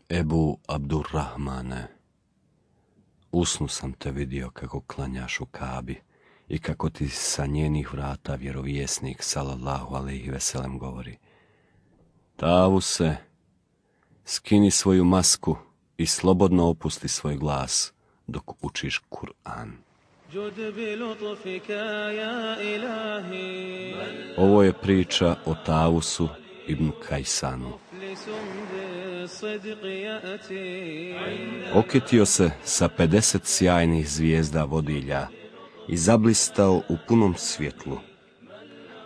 Ebu Abdurrahmane, usnu sam te vidio kako klanjaš u Kabi i kako ti sa njenih vrata vjerovjesnik sallallahu alejhi ve sellem govori: Tavuse, skini svoju masku i slobodno opusti svoj glas dok učiš Kur'an. Ovo je priča o Tavusu ibn Kajsanu. Okitio se sa 50 sjajnih zvijezda vodilja i zablistao u punom svjetlu.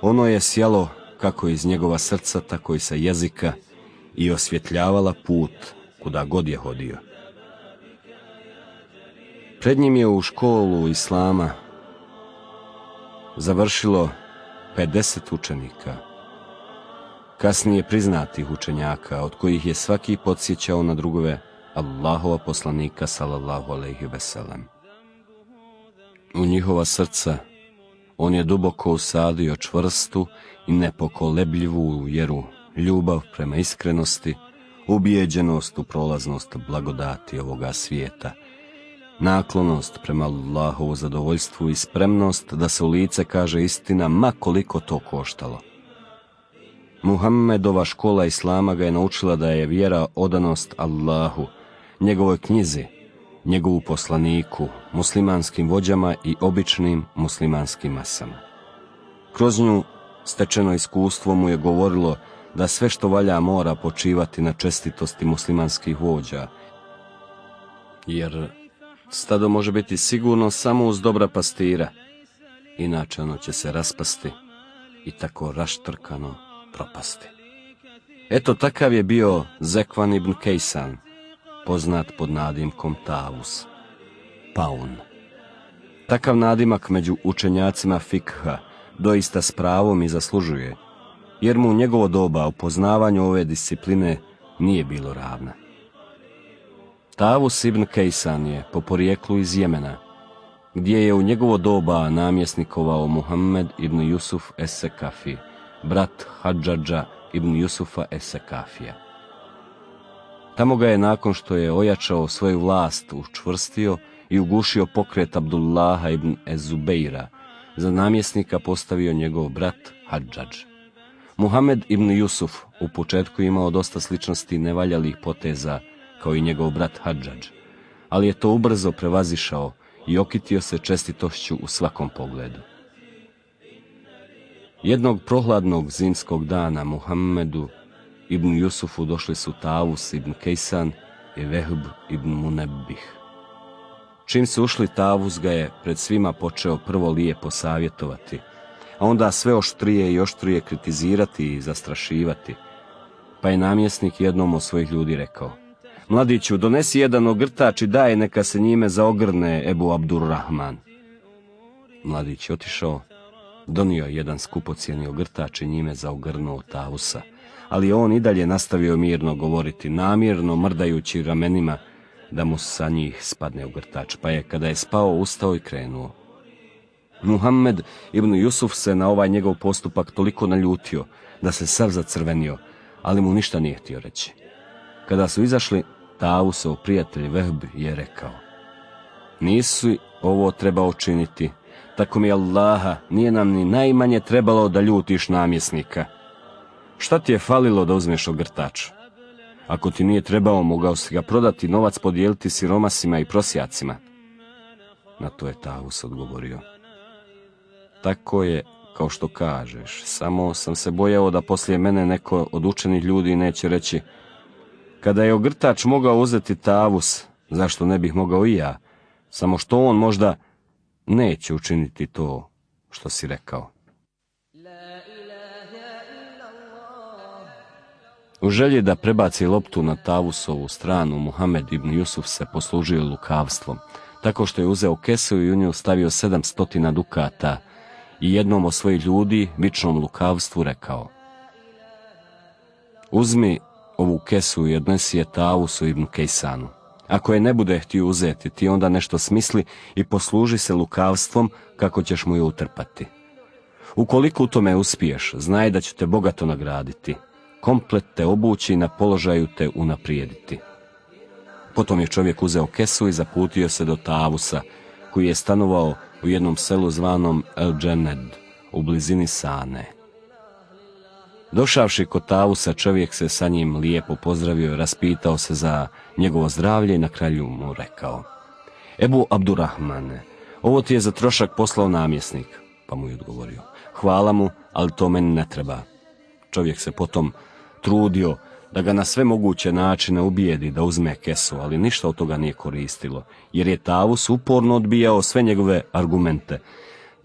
Ono je sjalo kako iz njegova srca, tako i sa jezika i osvjetljavala put kuda god je hodio. Pred njim je u školu islama završilo 50 učenika, kasnije priznatih učenjaka, od kojih je svaki podsjećao na drugove Allahova poslanika sallallahu alejhi ve sellem. U njihova srca on je duboko usadio čvrstu i nepokolebljivu vjeru, ljubav prema iskrenosti, ubijeđenost u prolaznost blagodati ovoga svijeta, naklonost prema Allahovu zadovoljstvu i spremnost da se u lice kaže istina, ma koliko to koštalo. Muhammedova škola islama ga je naučila da je vjera odanost Allahu, njegovoj knjizi, njegovu poslaniku, muslimanskim vođama i običnim muslimanskim masama. Kroz nju stečeno iskustvo mu je govorilo da sve što valja mora počivati na čestitosti muslimanskih vođa, jer stado može biti sigurno samo uz dobra pastira, inače ono će se raspasti i tako raštrkano propasti. Eto, takav je bio Zekvan ibn Kejsan, poznat pod nadimkom Tavus, paun. Takav nadimak među učenjacima fikha doista s pravom i zaslužuje, jer mu u njegovo doba u poznavanju ove discipline nije bilo ravna. Tavus ibn Kejsan je po porijeklu iz Jemena, gdje je u njegovo doba namjesnikovao Muhammed ibn Jusuf es-Sekafi, brat Hadžadža ibn Jusufa es-Sekafija. Tamo ga je, nakon što je ojačao svoju vlast, učvrstio i ugušio pokret Abdullaha ibn ez-Zubeira, za namjesnika postavio njegov brat Hadžadž. Muhammed ibn Jusuf u početku imao dosta sličnosti nevaljalih poteza kao i njegov brat Hadžadž, ali je to ubrzo prevazišao i okitio se čestitošću u svakom pogledu. Jednog prohladnog zimskog dana Muhammedu ibn Jusufu došli su Tavus ibn Kejsan i Vehb ibn Munebbih. Čim su ušli, Tavus ga je pred svima počeo prvo lijepo savjetovati, a onda sve oštrije i oštrije kritizirati i zastrašivati, pa je namjesnik jednom od svojih ljudi rekao: Mladiću, donesi jedan ogrtač i daj neka se njime zaogrne Ebu Abdurrahman. Mladić je otišao, donio jedan skupocjeni ogrtač i njime zaogrnuo Tavusa, ali on i dalje nastavio mirno govoriti, namjerno mrdajući ramenima da mu sa njih spadne ogrtač, pa je, kada je spao, ustao i krenuo. Muhammed ibn Jusuf se na ovaj njegov postupak toliko naljutio da se sav zacrvenio, ali mu ništa nije htio reći. Kada su izašli, Tavusov prijatelj Vehb je rekao: Nisi ovo trebao učiniti, tako mi Allaha, nije nam ni najmanje trebalo da ljutiš namjesnika. Šta ti je falilo da uzmeš ogrtač? Ako ti nije trebao, mogao si ga prodati, novac podijeliti siromasima i prosjacima. Na to je Tavus odgovorio: Tako je kao što kažeš, samo sam se bojao da poslije mene neko od učenih ljudi neće reći: Kada je ogrtač mogao uzeti Tavus, zašto ne bih mogao i ja, samo što on možda neće učiniti to što si rekao. U želji da prebaci loptu na Tavusovu stranu, Muhammed ibn Jusuf se poslužio lukavstvom, tako što je uzeo kesu i u nju stavio 700 dukata i jednom od svojih ljudi, vičnom lukavstvu, rekao: Uzmi ovu kesu i odnesi je Tavusu ibn Kejsanu. Ako je ne bude htio uzeti, ti onda nešto smisli i posluži se lukavstvom kako ćeš mu je utrpati. Ukoliko u tome uspiješ, znaj da ću te bogato nagraditi, komplet te obući i na položaju te unaprijediti. Potom je čovjek uzeo kesu i zaputio se do Tavusa, koji je stanovao u jednom selu zvanom El Džened, u blizini Sane. Došavši kod Tavusa, čovjek se sa njim lijepo pozdravio, raspitao se za njegovo zdravlje i na kraju mu rekao: Ebu Abdurrahmane, ovo ti je za trošak poslao namjesnik. Pa mu je odgovorio: Hvala mu, ali to meni ne treba. Čovjek se potom trudio da ga na sve moguće načine ubijedi da uzme kesu, ali ništa od toga nije koristilo, jer je Tavus uporno odbijao sve njegove argumente,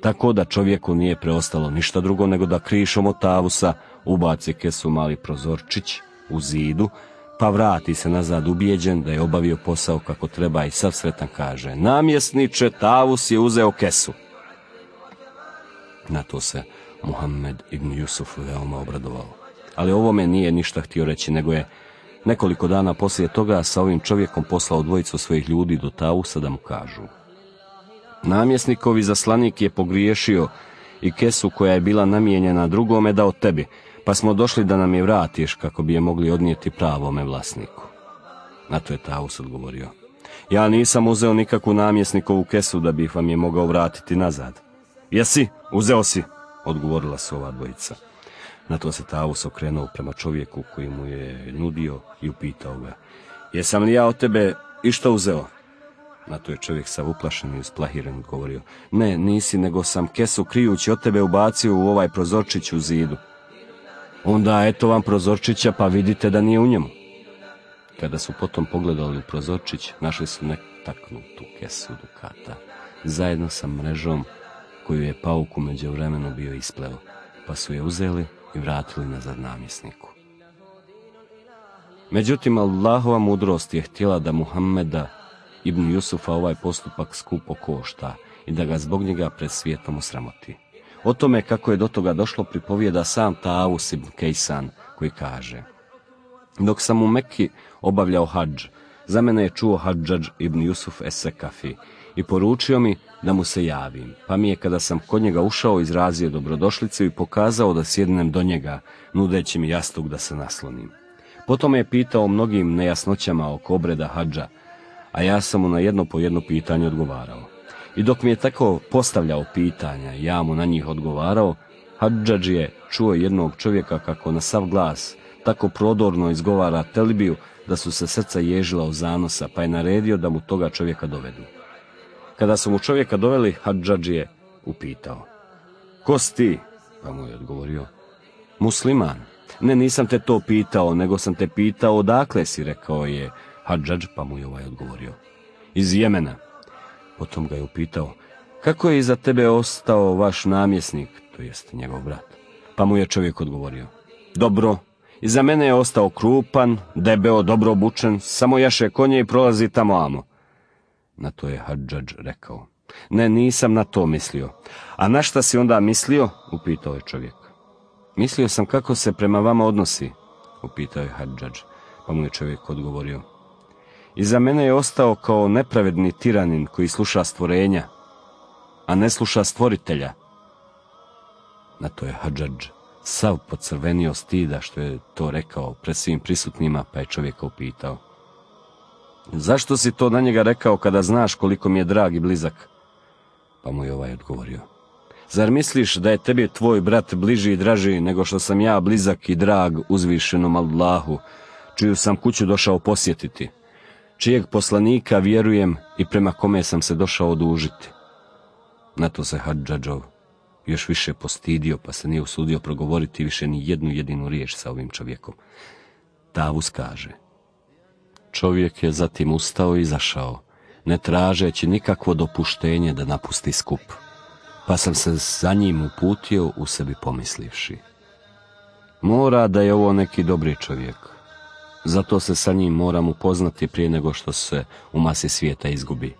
tako da čovjeku nije preostalo ništa drugo nego da krišom od Tavusa ubaci kesu mali prozorčić u zidu, pa vrati se nazad ubijeđen da je obavio posao kako treba i sav sretan kaže: Namjesniče, Tavus je uzeo kesu. Na to se Muhammed ibn Jusuf veoma obradovao. Ali ovome nije ništa htio reći, nego je nekoliko dana poslije toga sa ovim čovjekom poslao dvojicu svojih ljudi do Tavusa da mu kažu: Namjesnikovi zaslanik je pogriješio i kesu koja je bila namijenjena drugome dao tebi, pa smo došli da nam je vratiš kako bi je mogli odnijeti pravome vlasniku. Na to je Tavus odgovorio: Ja nisam uzeo nikakvu namjesnikovu kesu da bih vam je mogao vratiti nazad. Jesi, uzeo si, odgovorila su ova dvojica. Na to se Tavus okrenuo prema čovjeku koji mu je nudio i upitao ga: Jesam li ja od tebe išta uzeo? Na to je čovjek sav uplašen i usplahiren odgovorio: Ne, nisi, nego sam kesu krijući od tebe ubacio u ovaj prozorčić u zidu. Onda eto vam prozorčića, pa vidite da nije u njemu. Kada su potom pogledali u prozorčić, našli su netaknutu kesu dukata, zajedno sa mrežom koju je pauk u međuvremenu bio ispleo, pa su je uzeli i vratili nazad namjesniku. Međutim, Allahova mudrost je htjela da Muhammeda ibn Jusufa ovaj postupak skupo košta i da ga zbog njega pred svijetom osramoti. O tome kako je do toga došlo pripovijeda sam Tavus ibn Kejsan, koji kaže: Dok sam u Mekki obavljao hadž, za mene je čuo Hadžadž ibn Jusuf es-Sekafi i poručio mi da mu se javim, pa mi je kada sam kod njega ušao izrazio dobrodošlicu i pokazao da sjednem do njega, nudeći mi jastuk da se naslonim. Potom me je pitao o mnogim nejasnoćama oko obreda hadža, a ja sam mu na jedno po jedno pitanje odgovarao. I dok mi je tako postavljao pitanja, ja mu na njih odgovarao, Hadžadž je čuo jednog čovjeka kako na sav glas tako prodorno izgovara telbiju da su se srca ježila u zanosa, pa je naredio da mu toga čovjeka dovedu. Kada su mu čovjeka doveli, Hadžadž je upitao: Ko si ti? Pa mu je odgovorio: Musliman. Ne, nisam te to pitao, nego sam te pitao odakle si, rekao je Hadžadž, pa mu je ovaj odgovorio: Iz Jemena. Potom ga je upitao: Kako je iza tebe ostao vaš namjesnik, to jest njegov brat? Pa mu je čovjek odgovorio: Dobro, iza mene je ostao krupan, debeo, dobro obučen, samo jaše konje i prolazi tamo amo. Na to je Hadžadž rekao: Ne, nisam na to mislio. A na šta si onda mislio? Upitao je čovjek. Mislio sam kako se prema vama odnosi, upitao je Hadžadž, pa mu je čovjek odgovorio: Iza mene je ostao kao nepravedni tiranin koji sluša stvorenja, a ne sluša stvoritelja. Na to je Hadžadž sav pocrvenio stida što je to rekao pred svim prisutnima, pa je čovjeka upitao: Zašto si to na njega rekao kada znaš koliko mi je drag i blizak? Pa mu je ovaj odgovorio: Zar misliš da je tebi tvoj brat bliži i draži nego što sam ja blizak i drag uzvišenom Allahu, čiju sam kuću došao posjetiti, čijeg poslanika vjerujem i prema kome sam se došao odužiti? Na to se Hadžadžov još više postidio, pa se nije usudio progovoriti više ni jednu jedinu riječ sa ovim čovjekom. Tavus kaže: Čovjek je zatim ustao i izašao, ne tražeći nikakvo dopuštenje da napusti skup, pa sam se za njim uputio u sebi pomislivši: Mora da je ovo neki dobri čovjek, zato se sa njim moram upoznati prije nego što se u masi svijeta izgubi.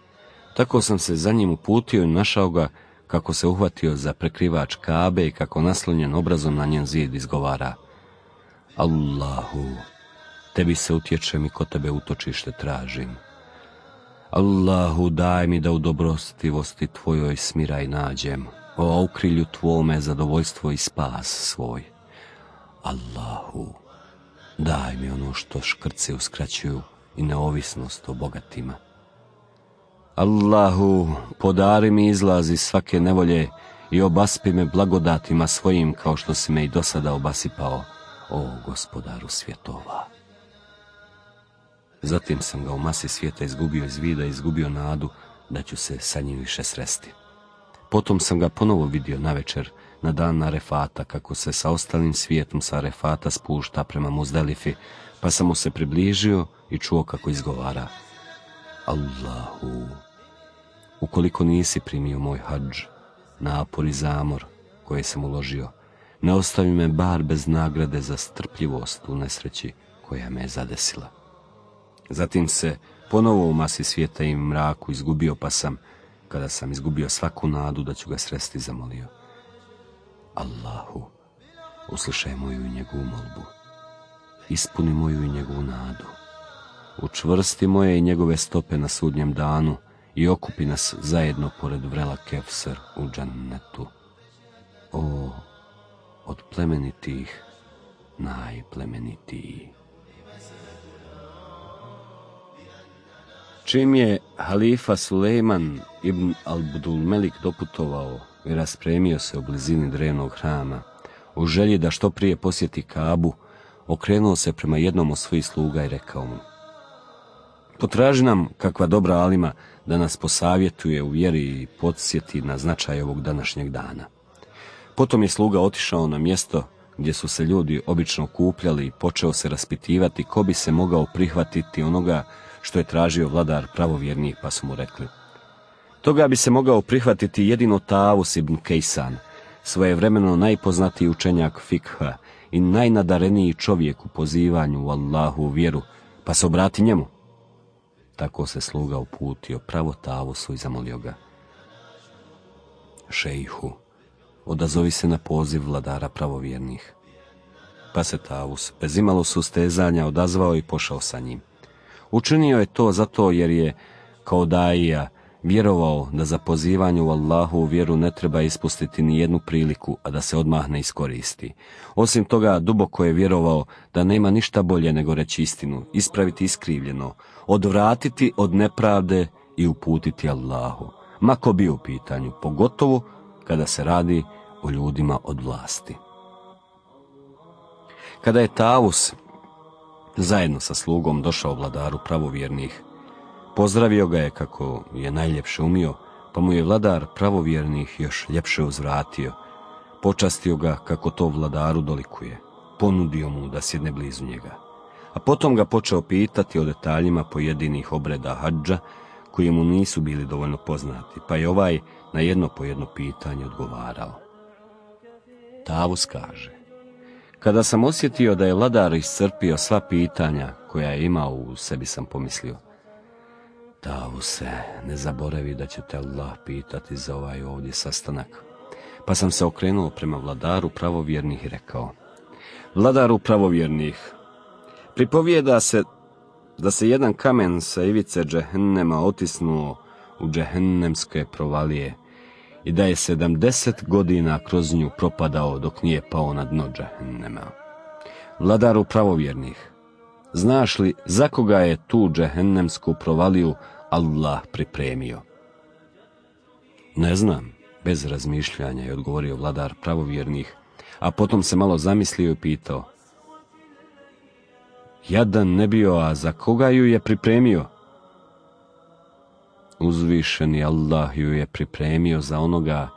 Tako sam se za njim uputio i našao ga kako se uhvatio za prekrivač Kabe i kako naslonjen obrazom na njen zid izgovara: Allahu, tebi se utječem i kod tebe utočište tražim. Allahu, daj mi da u dobrostivosti tvojoj smiraj nađem, o ukrilju tvome zadovoljstvo i spas svoj. Allahu, daj mi ono što škrci uskraćuju i neovisnost o bogatima. Allahu, podari mi izlaz iz svake nevolje i obaspi me blagodatima svojim kao što si me i do sada obasipao, o Gospodaru svjetova. Zatim sam ga u masi svijeta izgubio iz vida i izgubio nadu da ću se sa njim više sresti. Potom sam ga ponovo vidio navečer, na dan Arefata, kako se sa ostalim svijetom sa Arefata spušta prema Muzdelifi, pa sam mu se približio i čuo kako izgovara: Allahu, ukoliko nisi primio moj hadž, napor i zamor koje sam uložio, ne ostavi me bar bez nagrade za strpljivost u nesreći koja me je zadesila. Zatim se ponovo u masi svijeta i mraku izgubio, pa sam, kada sam izgubio svaku nadu da ću ga sresti, zamolio: Allahu, uslišaj moju i njegovu molbu, ispuni moju i njegovu nadu, učvrsti moje i njegove stope na sudnjem danu i okupi nas zajedno pored vrela Kevser u džennetu. O, od plemenitih najplemenitiji. Čim je halifa Sulejman ibn Abdulmelik doputovao i raspremio se u blizini drevnog hrama, u želji da što prije posjeti Kabu, okrenuo se prema jednom od svojih sluga i rekao mu: Potraži nam kakva dobra alima da nas posavjetuje u vjeri i podsjeti na značaj ovog današnjeg dana. Potom je sluga otišao na mjesto gdje su se ljudi obično okupljali i počeo se raspitivati ko bi se mogao prihvatiti onoga što je tražio vladar pravovjernih, pa su mu rekli: Toga bi se mogao prihvatiti jedino Tavus ibn Kejsan, svojevremeno najpoznatiji učenjak fikha i najnadareniji čovjek u pozivanju u Allahu vjeru, pa se obrati njemu. Tako se sluga uputio pravo Tavusu i zamolio ga: Šejhu, odazovi se na poziv vladara pravovjernih. Pa se Tavus bez imalo sustezanja odazvao i pošao sa njim. Učinio je to zato jer je, kao daija, vjerovao da za pozivanje u Allahu vjeru ne treba ispustiti ni jednu priliku, a da se odmah ne iskoristi. Osim toga, duboko je vjerovao da nema ništa bolje nego reći istinu, ispraviti iskrivljeno, odvratiti od nepravde i uputiti Allahu, ma ko bio u pitanju, pogotovo kada se radi o ljudima od vlasti. Kada je Tavus zajedno sa slugom došao vladaru pravovjernih, pozdravio ga je kako je najljepše umio, pa mu je vladar pravovjernih još ljepše uzvratio, počastio ga kako to vladaru dolikuje, ponudio mu da sjedne blizu njega, a potom ga počeo pitati o detaljima pojedinih obreda hadža koji mu nisu bili dovoljno poznati, pa je ovaj na jedno po jedno pitanje odgovarao. Tavus kaže: Kada sam osjetio da je vladar iscrpio sva pitanja koja je imao u sebi, sam pomislio: Tavuse, ne zaboravi da će te Allah pitati za ovaj ovdje sastanak. Pa sam se okrenuo prema vladaru pravovjernih i rekao: Vladaru pravovjernih, pripovijeda se da se jedan kamen sa ivice džehennema otisnuo u džehennemske provalije i da je 70 godina kroz nju propadao dok nije pao na dno džehennema. Vladaru pravovjernih, znaš li za koga je tu džehennemsku provaliju Allah pripremio? Ne znam, bez razmišljanja je odgovorio vladar pravovjernih, a potom se malo zamislio i pitao: Jadan ne bio, a za koga ju je pripremio? Uzvišeni Allah ju je pripremio za onoga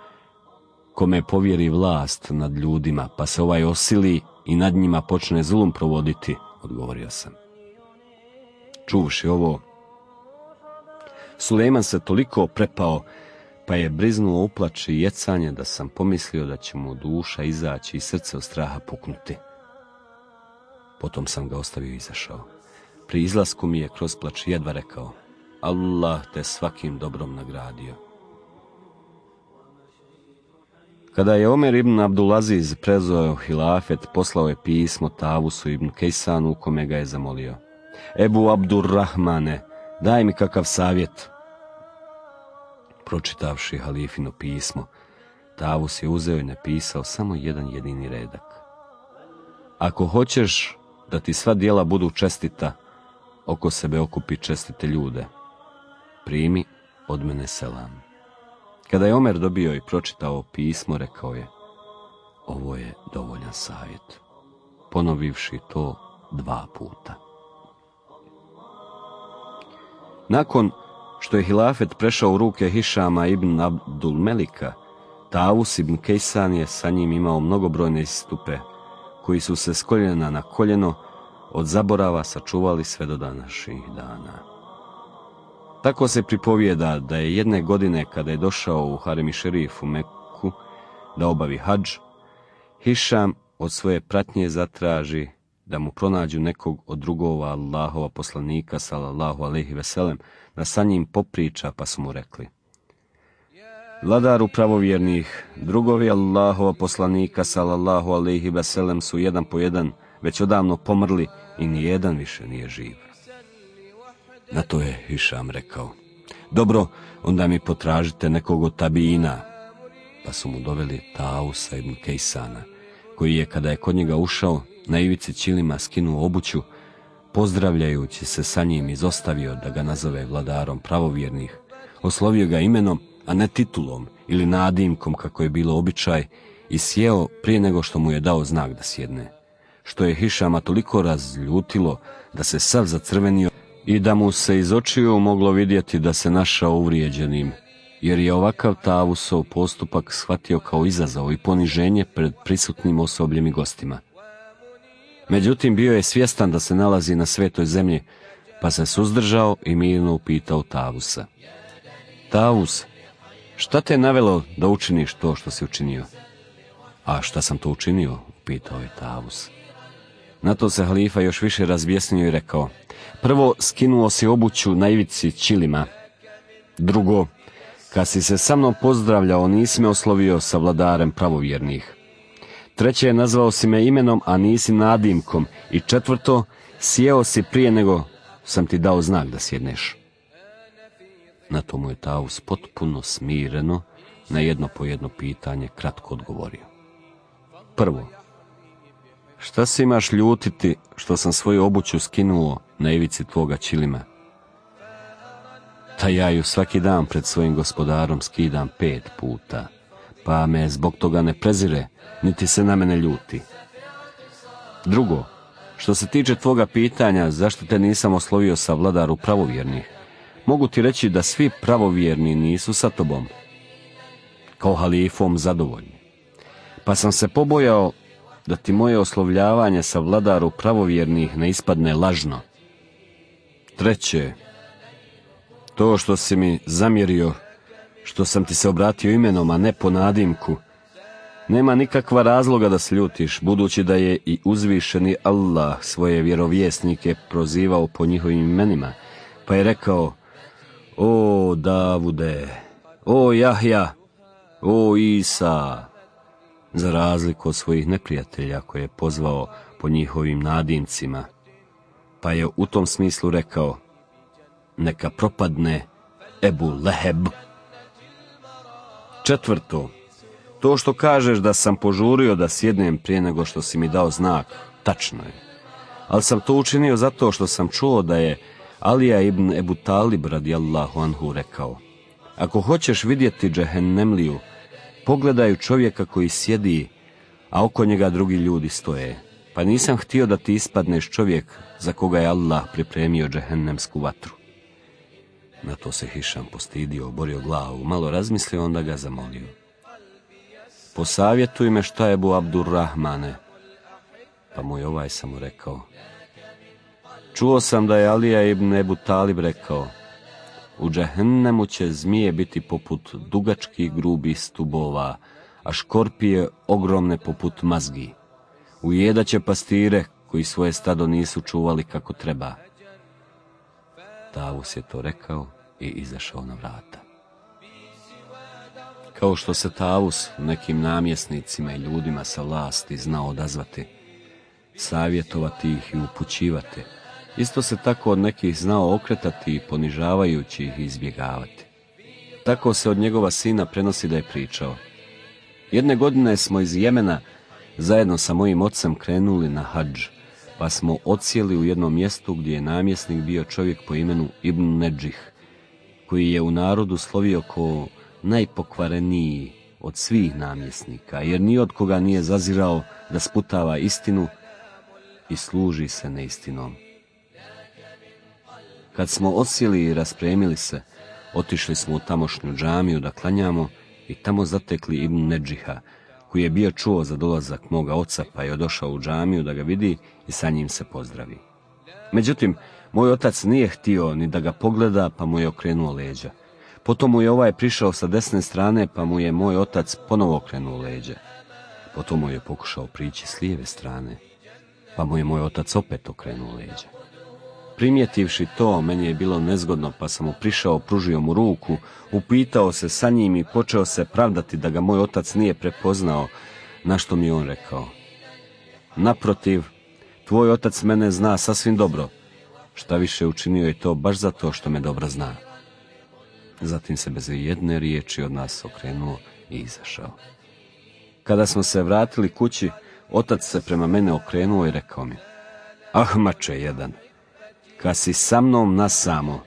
kome povjeri vlast nad ljudima, pa se ovaj osili i nad njima počne zulum provoditi, odgovorio sam. Čuvši ovo, Sulejman se toliko prepao, pa je briznuo u plač i jecanje, da sam pomislio da će mu duša izaći i srce od straha puknuti. Potom sam ga ostavio i izašao. Pri izlasku mi je kroz plač jedva rekao: Allah te svakim dobrom nagradio. Kada je Omer ibn Abdulaziz preuzeo hilafet, poslao je pismo Tavusu ibn Kejsanu u kome ga je zamolio: Ebu Abdurrahmane, daj mi kakav savjet. Pročitavši halifino pismo, Tavus je uzeo i napisao samo jedan jedini redak: Ako hoćeš da ti sva djela budu čestita, oko sebe okupi čestite ljude. Primi od mene selam. Kada je Omer dobio i pročitao pismo, rekao je: ovo je dovoljan savjet, ponovivši to 2 puta. Nakon što je hilafet prešao u ruke Hišama ibn Abdul Melika, Tavus ibn Kejsan je sa njim imao mnogobrojne istupe, koji su se s koljena na koljeno od zaborava sačuvali sve do današnjih dana. Tako se pripovijeda da je jedne godine, kada je došao u Harem Šerif u Meku da obavi hadž, Hišam od svoje pratnje zatraži da mu pronađu nekog od drugova Allahova poslanika sallallahu alejhi ve sellem, da sa njim popriča, pa su mu rekli: vladaru pravovjernih, drugovi Allahova poslanika sallallahu alejhi ve sellem su jedan po jedan već odavno pomrli i nijedan više nije živ. Na to je Hišam rekao: dobro, onda mi potražite nekog od tabiina. Pa su mu doveli Tausa ibn Kejsana, koji je, kada je kod njega ušao, na ivici ćilima skinuo obuću, pozdravljajući se sa njim izostavio da ga nazove vladarom pravovjernih, oslovio ga imenom, a ne titulom ili nadimkom kako je bilo običaj, i sjeo prije nego što mu je dao znak da sjedne, što je Hišama toliko razljutilo da se sav zacrvenio i da mu se iz očiju moglo vidjeti da se našao uvrijeđenim, jer je ovakav Tavusov postupak shvatio kao izazov i poniženje pred prisutnim osobljem i gostima. Međutim, bio je svjestan da se nalazi na svetoj zemlji, pa se suzdržao i mirno upitao Tavusa: Tavus, šta te je navelo da učiniš to što si učinio? A šta sam to učinio? Upitao je Tavus. Na to se halifa još više razbjesnio i rekao: prvo, skinuo si obuću na ivici ćilima. Drugo, kad si se sa mnom pozdravljao, nisi me oslovio sa vladarem pravovjernih. Treće, nazvao si me imenom, a nisi nadimkom. I četvrto, sjeo si prije nego sam ti dao znak da sjedneš. Na to mu je Tavus potpuno smireno na jedno po jedno pitanje kratko odgovorio: prvo, šta se imaš ljutiti što sam svoju obuću skinuo na ivici tvoga ćilima? Ta ja ju svaki dan pred svojim gospodarom skidam 5 puta, pa me zbog toga ne prezire, niti se na mene ljuti. Drugo, što se tiče tvoga pitanja zašto te nisam oslovio sa vladaru pravovjernih, mogu ti reći da svi pravovjerni nisu sa tobom kao halifom zadovoljni, pa sam se pobojao da ti moje oslovljavanje sa vladaru pravovjernih ne ispadne lažno. Treće, to što si mi zamjerio što sam ti se obratio imenom, a ne po nadimku, nema nikakva razloga da se ljutiš, budući da je i uzvišeni Allah svoje vjerovjesnike prozivao po njihovim imenima, pa je rekao: o Davude, o Jahja, o Isa, za razliku od svojih neprijatelja koje je pozvao po njihovim nadimcima, pa je u tom smislu rekao: neka propadne Ebu Leheb. Četvrto, to što kažeš da sam požurio da sjednem prije nego što si mi dao znak, tačno je, ali sam to učinio zato što sam čuo da je Alija ibn Ebu Talib radijallahu anhu rekao: ako hoćeš vidjeti džehennemliju, pogledaj čovjeka koji sjedi, a oko njega drugi ljudi stoje, pa nisam htio da ti ispadneš čovjek za koga je Allah pripremio džehennemsku vatru. Na to se Hišam postidio, oborio glavu, malo razmislio, onda ga zamolio: posavjetuj me šta je Ebu Abdurrahmane. Pa mu je ovaj samo rekao: čuo sam da je Alija ibn Ebu Talib rekao: u džehennemu će zmije biti poput dugačkih grubih stubova, a škorpije ogromne poput mazgi. Ujedaće pastire koji svoje stado nisu čuvali kako treba. Tavus je to rekao i izašao na vrata. Kao što se Tavus nekim namjesnicima i ljudima sa vlasti znao odazvati, savjetovati ih i upućivati, isto se tako od nekih znao okretati i ponižavajući ih izbjegavati. Tako se od njegova sina prenosi da je pričao: jedne godine smo iz Jemena zajedno sa mojim ocem krenuli na hadž, pa smo odsjeli u jednom mjestu gdje je namjesnik bio čovjek po imenu Ibn Nedžih, koji je u narodu slovio kao najpokvareniji od svih namjesnika, jer ni od koga nije zazirao da sputava istinu i služi se neistinom. Kad smo odsjeli i raspremili se, otišli smo u tamošnju džamiju da klanjamo i tamo zatekli Ibn Nedžiha, koji je bio čuo za dolazak moga oca, pa je došao u džamiju da ga vidi i sa njim se pozdravi. Međutim, moj otac nije htio ni da ga pogleda, pa mu je okrenuo leđa. Potom mu je ovaj prišao sa desne strane, pa mu je moj otac ponovo okrenuo leđa. Potom mu je pokušao prići s lijeve strane, pa mu je moj otac opet okrenuo leđa. Primjetivši to, meni je bilo nezgodno, pa sam mu prišao, pružio mu ruku, upitao se sa njim i počeo se pravdati da ga moj otac nije prepoznao, na što mi je on rekao: naprotiv, tvoj otac mene zna sasvim dobro, šta više učinio je to baš zato što me dobro zna. Zatim se bez jedne riječi od nas okrenuo i izašao. Kada smo se vratili kući, otac se prema mene okrenuo i rekao mi: ahmače jedan, kad si sa mnom nasamo,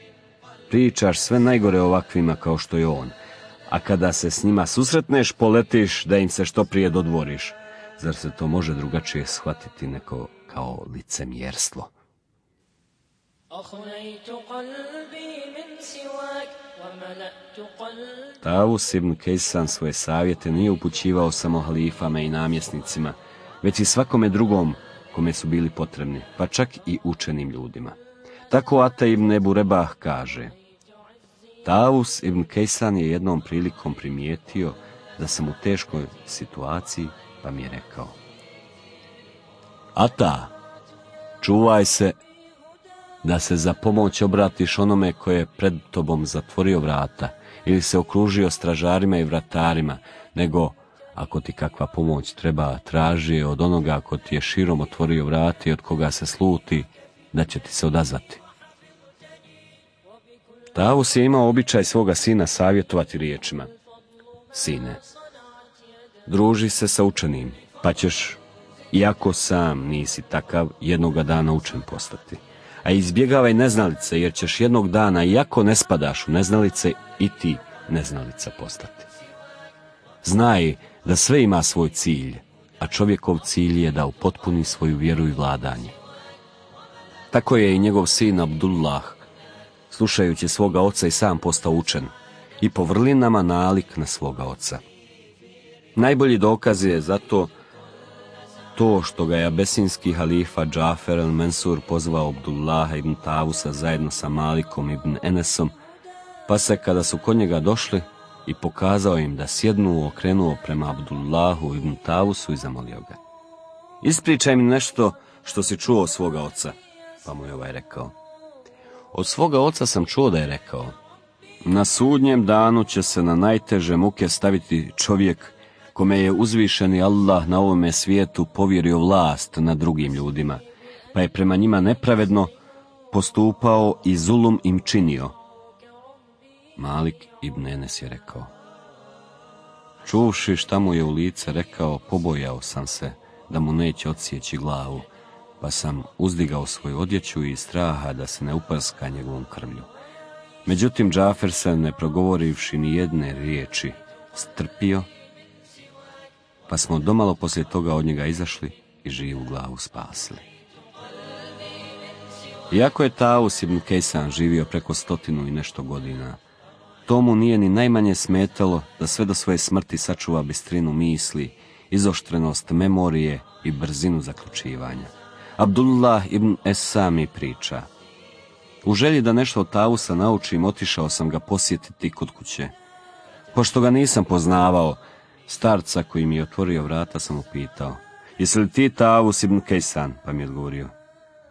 pričaš sve najgore ovakvima kao što je on, a kada se s njima susretneš, poletiš da im se što prije dodvoriš. Zar se to može drugačije shvatiti neko kao licemjerstvo? Tavus ibn Kejsan svoje savjete nije upućivao samo halifama i namjesnicima, već i svakome drugom kome su bili potrebni, pa čak i učenim ljudima. Tako Ata ibn Ebu Rebah kaže: Tavus ibn Kejsan je jednom prilikom primijetio da sam u teškoj situaciji, pa mi je rekao: Ata, čuvaj se da se za pomoć obratiš onome koje je pred tobom zatvorio vrata ili se okružio stražarima i vratarima, nego ako ti kakva pomoć treba, traži je od onoga ko ti je širom otvorio vrata i od koga se sluti da će ti se odazvati. Tavus je imao običaj svoga sina savjetovati riječima: Sine, druži se sa učenim, pa ćeš, iako sam nisi takav, jednoga dana učen postati. A izbjegavaj neznalice, jer ćeš jednog dana, iako ne spadaš u neznalice, i ti neznalica postati. Znaj da sve ima svoj cilj, a čovjekov cilj je da upotpuni svoju vjeru i vladanje. Tako je i njegov sin Abdullah, slušajući svoga oca, i sam postao učen i po vrlinama nalik na svoga oca. Najbolji dokaz je zato to što ga je abesinski halifa Džafer el-Mensur pozvao Abdullaha ibn Tavusa zajedno sa Malikom ibn Enesom, pa se kada su kod njega došli i pokazao im da sjednu, okrenuo prema Abdullahu ibn Tavusu i zamolio ga: Ispričaj mi nešto što si čuo od svoga oca. Pa mu je ovaj rekao: Od svoga oca sam čuo da je rekao: Na sudnjem danu će se na najteže muke staviti čovjek kome je uzvišeni Allah na ovome svijetu povjerio vlast nad drugim ljudima, pa je prema njima nepravedno postupao i zulum im činio. Malik ibn Enes je rekao: Čuvši šta mu je u lice rekao, pobojao sam se da mu neće odsjeći glavu, pa sam uzdigao svoju odjeću iz straha da se ne uprska njegovom krvlju. Međutim, Džafer se, ne progovorivši ni jedne riječi, strpio, pa smo domalo poslije toga od njega izašli i živu glavu spasili. Iako je Tavus ibn Kejsan živio preko 100 i nešto godina, to mu nije ni najmanje smetalo da sve do svoje smrti sačuva bistrinu misli, izoštrenost memorije i brzinu zaključivanja. Abdullah ibn Esami priča: U želji da nešto od Tavusa naučim, otišao sam ga posjetiti kod kuće. Pošto ga nisam poznavao, starca koji mi je otvorio vrata sam upitao: Jesi li ti Tavus ibn Kejsan? Pa mi je odgovorio: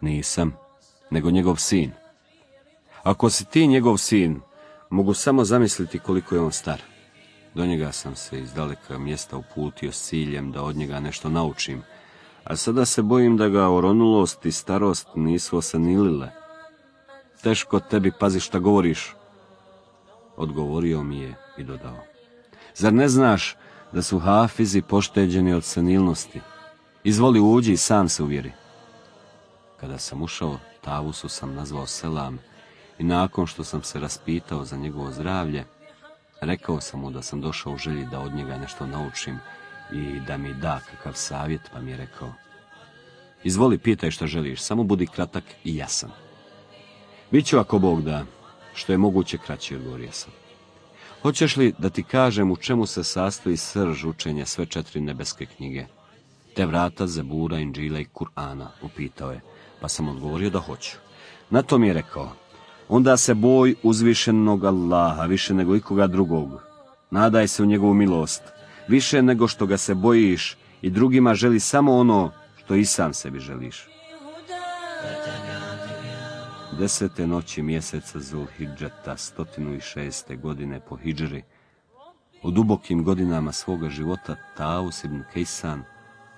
Nisam, nego njegov sin. Ako si ti njegov sin, mogu samo zamisliti koliko je on star. Do njega sam se iz daleka mjesta uputio s ciljem da od njega nešto naučim, a sada se bojim da ga oronulost i starost nisu osenilile. Teško tebi, pazi šta govoriš. Odgovorio mi je i dodao: Zar ne znaš da su hafizi pošteđeni od senilnosti? Izvoli, uđi i sam se uvjeri. Kada sam ušao, Tavusu sam nazvao selam i nakon što sam se raspitao za njegovo zdravlje, rekao sam mu da sam došao u želji da od njega nešto naučim i da mi da kakav savjet, pa mi je rekao: izvoli, pitaj šta želiš, samo budi kratak i jasan. Biću ako Bog da, što je moguće kraći, odgovorio sam. Hoćeš li da ti kažem u čemu se sastoji srž učenja sve 4 nebeske knjige? Tevrata, Zebura, Inđila i Kur'ana, upitao je, pa sam odgovorio da hoću. Na to mi je rekao: onda se boj uzvišenog Allaha više nego ikoga drugog. Nadaj se u njegovu milost, više nego što ga se bojiš i drugima želi samo ono što i sam sebi želiš. 10. noći mjeseca Zulhidžeta 106. godine po hidžri, u dubokim godinama svoga života, Tavus ibn Kejsan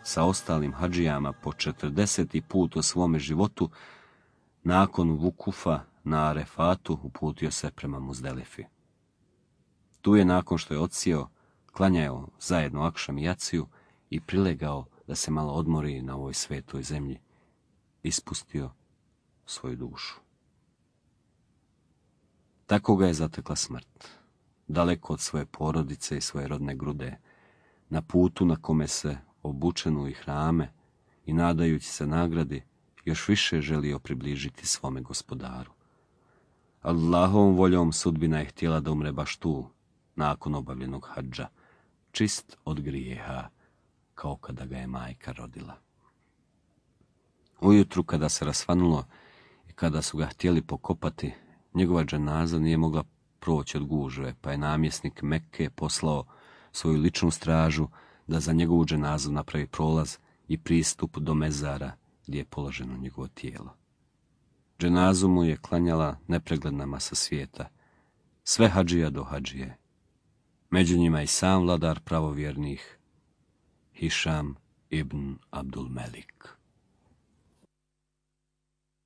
sa ostalim hadžijama po 40. put u svome životu, nakon vukufa na Arefatu, uputio se prema Muzdelifi. Tu je, nakon što je odsjeo, klanjao zajedno akšam i jaciju i prilegao da se malo odmori na ovoj svetoj zemlji, ispustio svoju dušu. Tako ga je zatekla smrt, daleko od svoje porodice i svoje rodne grude, na putu na kome se, obučen u ihrame i nadajući se nagradi, još više želio približiti svome gospodaru. Allahovom voljom sudbina je htjela da umre baš tu, nakon obavljenog hadža, čist od grijeha, kao kada ga je majka rodila. Ujutru, kada se rasvanulo i kada su ga htjeli pokopati, njegova dženaza nije mogla proći od gužve, pa je namjesnik Mekke poslao svoju ličnu stražu da za njegovu dženazu napravi prolaz i pristup do mezara gdje je položeno njegovo tijelo. Dženazu mu je klanjala nepregledna masa svijeta, sve hadžija do hadžije, među njima i sam vladar pravovjernih, Hišam ibn Abdul Melik.